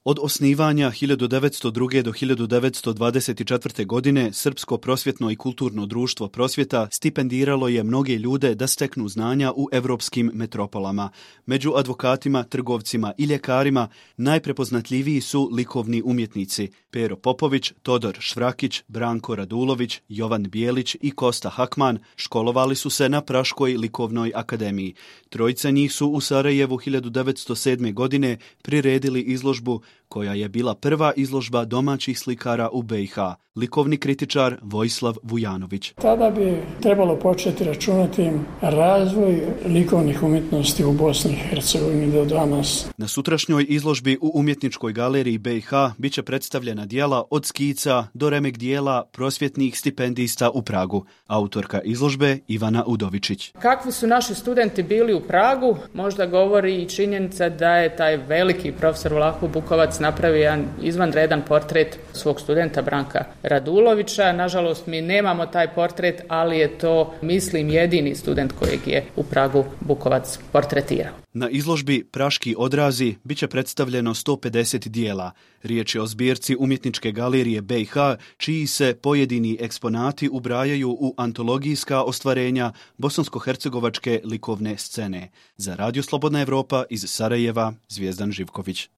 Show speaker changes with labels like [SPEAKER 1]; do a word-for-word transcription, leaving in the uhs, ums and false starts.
[SPEAKER 1] Od osnivanja hiljadu devetsto druge. do hiljadu devetsto dvadeset četvrte. godine Srpsko prosvjetno i kulturno društvo Prosvjeta stipendiralo je mnoge ljude da steknu znanja u evropskim metropolama. Među advokatima, trgovcima i ljekarima najprepoznatljiviji su likovni umjetnici Pero Popović, Todor Švrakić, Branko Radulović, Jovan Bijelić i Kosta Hakman. Školovali su se na Praškoj likovnoj akademiji. Trojica njih su u Sarajevu hiljadu devetsto sedme. godine priredili izložbu koja je bila prva izložba domaćih slikara u be i ha. Likovni kritičar Vojislav Vujanović.
[SPEAKER 2] Tada bi trebalo početi računati razvoj likovnih umjetnosti u Bosni i Hercegovini do danas.
[SPEAKER 1] Na sutrašnjoj izložbi u Umjetničkoj galeriji be i ha bit će predstavljena dijela od skica do remek dijela prosvjetnih stipendista u Pragu. Autorka izložbe Ivana Udovičić.
[SPEAKER 3] Kakvi su naši studenti bili u Pragu, možda govori i činjenica da je taj veliki profesor Vlah Bukovac napravio jedan izvanredan portret svog studenta Branka Radulovića. Nažalost, mi nemamo taj portret, ali je to, mislim, jedini student kojeg je u Pragu Bukovac portretirao.
[SPEAKER 1] Na izložbi Praški odrazi bit će predstavljeno sto pedeset dijela. Riječ je o zbirci Umjetničke galerije be i ha, čiji se pojedini eksponati ubrajaju u antologijska ostvarenja bosansko-hercegovačke likovne scene. Za Radio Slobodna Evropa iz Sarajeva, Zvijezdan Živković.